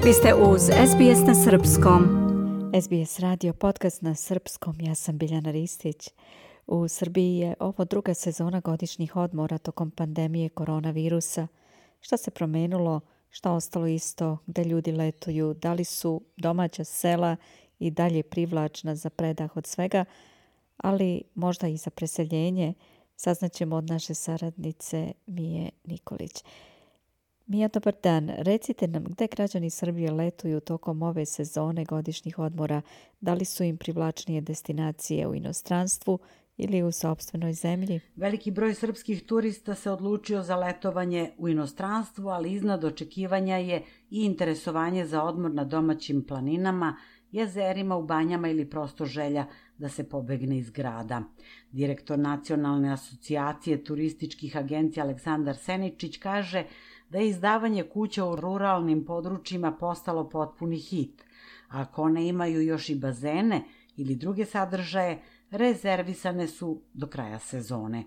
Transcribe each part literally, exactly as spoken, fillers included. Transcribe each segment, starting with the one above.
Vi ste uz S B S na srpskom. S B S radio podcast na srpskom. Ja sam Biljana Ristić. U Srbiji je ovo druga sezona godišnjih odmora tokom pandemije koronavirusa. Šta se promenilo? Šta ostalo isto? Gde ljudi letuju? Da li su domaća sela i dalje privlačna za predah od svega, ali možda i za preseljenje? Saznaćemo od naše saradnice Mije Nikolić. Mija, dobar dan. Recite nam gde građani Srbije letuju tokom ove sezone godišnjih odmora. Da li su im privlačnije destinacije u inostranstvu ili u sopstvenoj zemlji? Veliki broj srpskih turista se odlučio za letovanje u inostranstvu, ali iznad očekivanja je i interesovanje za odmor na domaćim planinama, jezerima, u banjama ili prosto želja da se pobegne iz grada. Direktor Nacionalne asocijacije turističkih agencija Aleksandar Seničić kaže da je izdavanje kuća u ruralnim područjima postalo potpuni hit. Ako one imaju još i bazene ili druge sadržaje, rezervisane su do kraja sezone.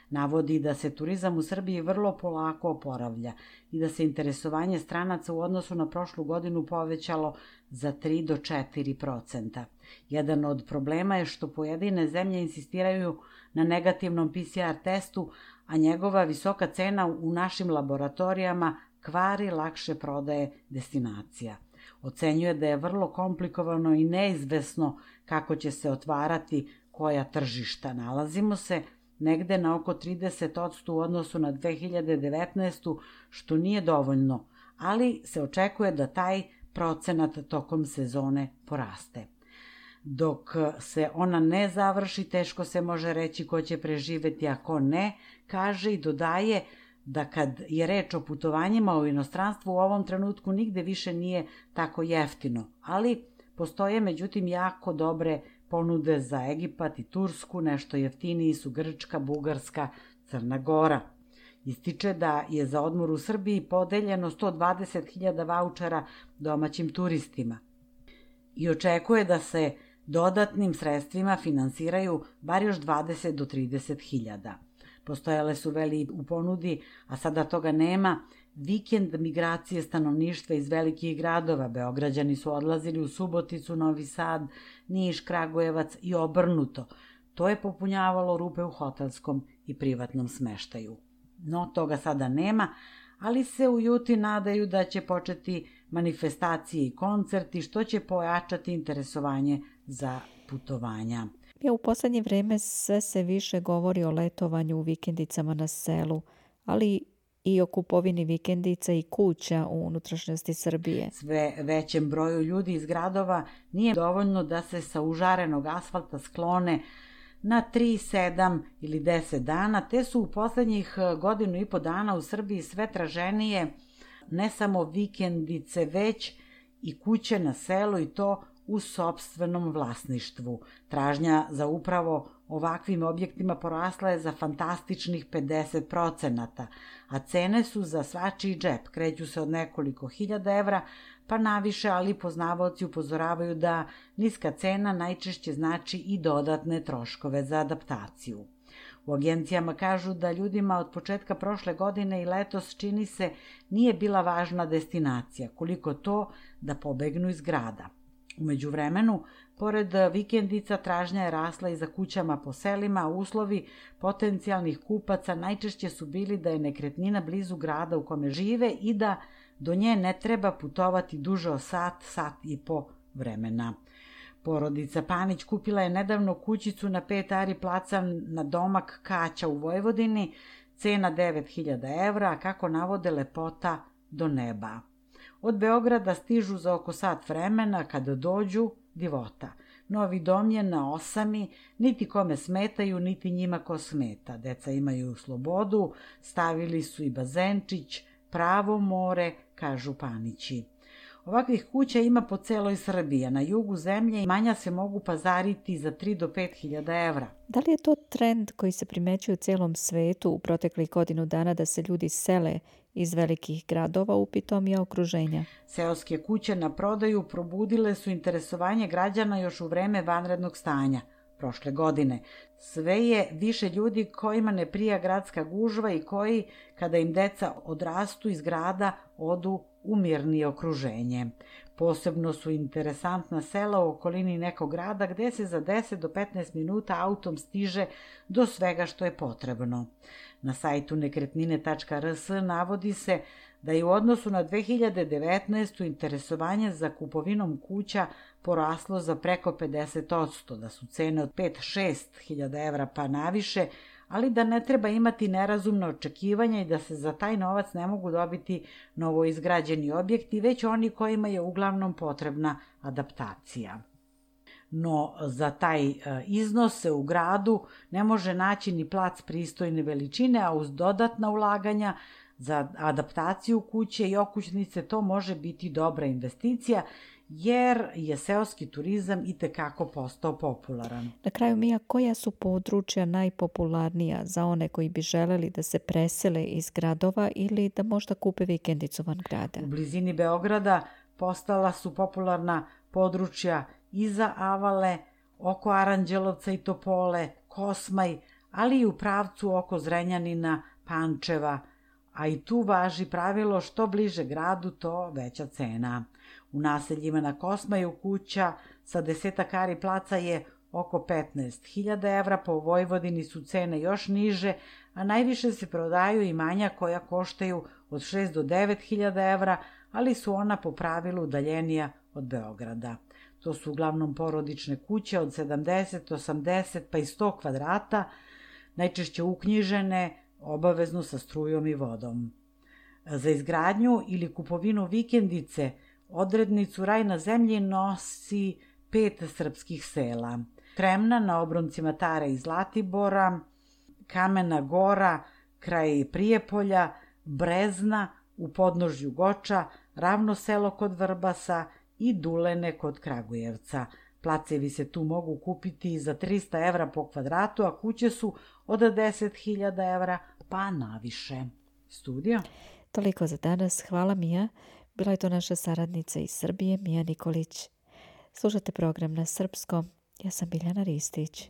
Navodi da se turizam u Srbiji vrlo polako oporavlja i da se interesovanje stranaca u odnosu na prošlu godinu povećalo za tri do četiri procenta. Jedan od problema je što pojedine zemlje insistiraju na negativnom P C R testu, a njegova visoka cena u našim laboratorijama kvari lakše prodaje destinacija. Ocenjuje da je vrlo komplikovano i neizvesno kako će se otvarati koja tržišta. Nalazimo se negde na oko trideset posto u odnosu na dve hiljade devetnaestu. što nije dovoljno, ali se očekuje da taj procenat tokom sezone poraste. Dok se ona ne završi, teško se može reći ko će preživeti, a ko ne, kaže i dodaje da kad je reč o putovanjima u inostranstvu u ovom trenutku nigde više nije tako jeftino, ali postoje međutim jako dobre ponude za Egipat i Tursku, nešto jeftiniji su Grčka, Bugarska, Crna Gora. Ističe da je za odmor u Srbiji podeljeno sto dvadeset hiljada vaučera domaćim turistima i očekuje da se dodatnim sredstvima finansiraju bar još dvadeset do trideset hiljada. Postojale su veli u ponudi, a sada toga nema, vikend migracije stanovništva iz velikih gradova. Beograđani su odlazili u Suboticu, Novi Sad, Niš, Kragujevac i obrnuto. To je popunjavalo rupe u hotelskom i privatnom smeštaju. No, toga sada nema, ali se u Juti nadaju da će početi manifestacije i koncerti, što će pojačati interesovanje za putovanja. Ja, u poslednje vreme sve se više govori o letovanju u vikendicama na selu, ali i o kupovini vikendica i kuća u unutrašnjosti Srbije. Sve većem broju ljudi iz gradova nije dovoljno da se sa užarenog asfalta sklone na tri, sedam ili deset dana, te su u poslednjih godinu i po dana u Srbiji sve traženije ne samo vikendice, već i kuće na selu, i to u sopstvenom vlasništvu. Tražnja za upravo ovakvim objektima porasla je za fantastičnih pedeset procenata, a cene su za svačiji džep, kreću se od nekoliko hiljada evra pa naviše, ali poznavaoci upozoravaju da niska cena najčešće znači i dodatne troškove za adaptaciju. U agencijama kažu da ljudima od početka prošle godine i letos, čini se, nije bila važna destinacija, koliko to da pobegnu iz grada. U međuvremenu, pored vikendica, tražnja je rasla i za kućama po selima, a uslovi potencijalnih kupaca najčešće su bili da je nekretnina blizu grada u kome žive i da do nje ne treba putovati duže od sat, sat i po vremena. Porodica Panić kupila je nedavno kućicu na pet ari placa na domak Kaća u Vojvodini, cena devet hiljada evra, a kako navode, lepota do neba. Od Beograda stižu za oko sat vremena, kada dođu, divota. Novi dom je na osami, niti kome smetaju, niti njima ko smeta. Deca imaju slobodu, stavili su i bazenčić, pravo more, kažu Panići. Ovakvih kuća ima po celoj Srbiji, a na jugu zemlje imanja se mogu pazariti za tri do pet hiljada evra. Da li je to trend koji se primećuje u celom svetu u proteklih godinu dana da se ljudi sele iz velikih gradova u pitomija okruženja? Seoske kuće na prodaju probudile su interesovanje građana još u vreme vanrednog stanja prošle godine. Sve je više ljudi kojima ne prija gradska gužva i koji, kada im deca odrastu iz grada, odu u mirnije okruženje. Posebno su interesantna sela u okolini nekog grada gde se za deset do petnaest minuta autom stiže do svega što je potrebno. Na sajtu nekretnine tačka r s navodi se da je u odnosu na dve hiljade devetnaestu. interesovanje za kupovinom kuća poraslo za preko pedeset posto, da su cene od pet do šest hiljada evra pa naviše, ali da ne treba imati nerazumna očekivanja i da se za taj novac ne mogu dobiti novoizgrađeni objekti, već oni kojima je uglavnom potrebna adaptacija. No, za taj iznos se u gradu ne može naći ni plac pristojne veličine, a uz dodatna ulaganja za adaptaciju kuće i okućnice to može biti dobra investicija, jer je seoski turizam itekako postao popularan. Na kraju, Mija, koja su područja najpopularnija za one koji bi želeli da se presele iz gradova ili da možda kupe vikendicu van grada? U blizini Beograda postala su popularna područja iza Avale, oko Aranđelovca i Topole, Kosmaj, ali i u pravcu oko Zrenjanina, Pančeva, a i tu važi pravilo što bliže gradu, to veća cena. U naseljima na Kosmaju kuća sa desetak ari placa je oko petnaest hiljada evra, po Vojvodini su cene još niže, a najviše se prodaju imanja koja koštaju od šest do devet hiljada evra, ali su ona po pravilu udaljenija od Beograda. To su uglavnom porodične kuće od sedamdeset, osamdeset pa i sto kvadrata, najčešće uknjižene, obavezno sa strujom i vodom. Za izgradnju ili kupovinu vikendice odrednicu Raj na zemlji nosi pet srpskih sela. Tremna na obroncima Tare i Zlatibora, Kamena Gora kraj Prijepolja, Brezna u podnožju Goča, Ravno selo kod Vrbasa i Dulene kod Kragujevca. Placevi se tu mogu kupiti za trista evra po kvadratu, a kuće su od deset hiljada evra pa naviše. Studio? Toliko za danas. Hvala, Mija. Bila je to naša saradnica iz Srbije, Mija Nikolić. Slušate program na srpskom. Ja sam Biljana Ristić.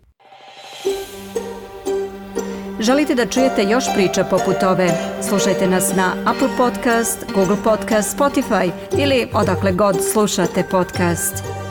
Želite da čujete još priča poput ove? Slušajte nas na Apple Podcast, Google Podcast, Spotify ili odakle god slušate podcast.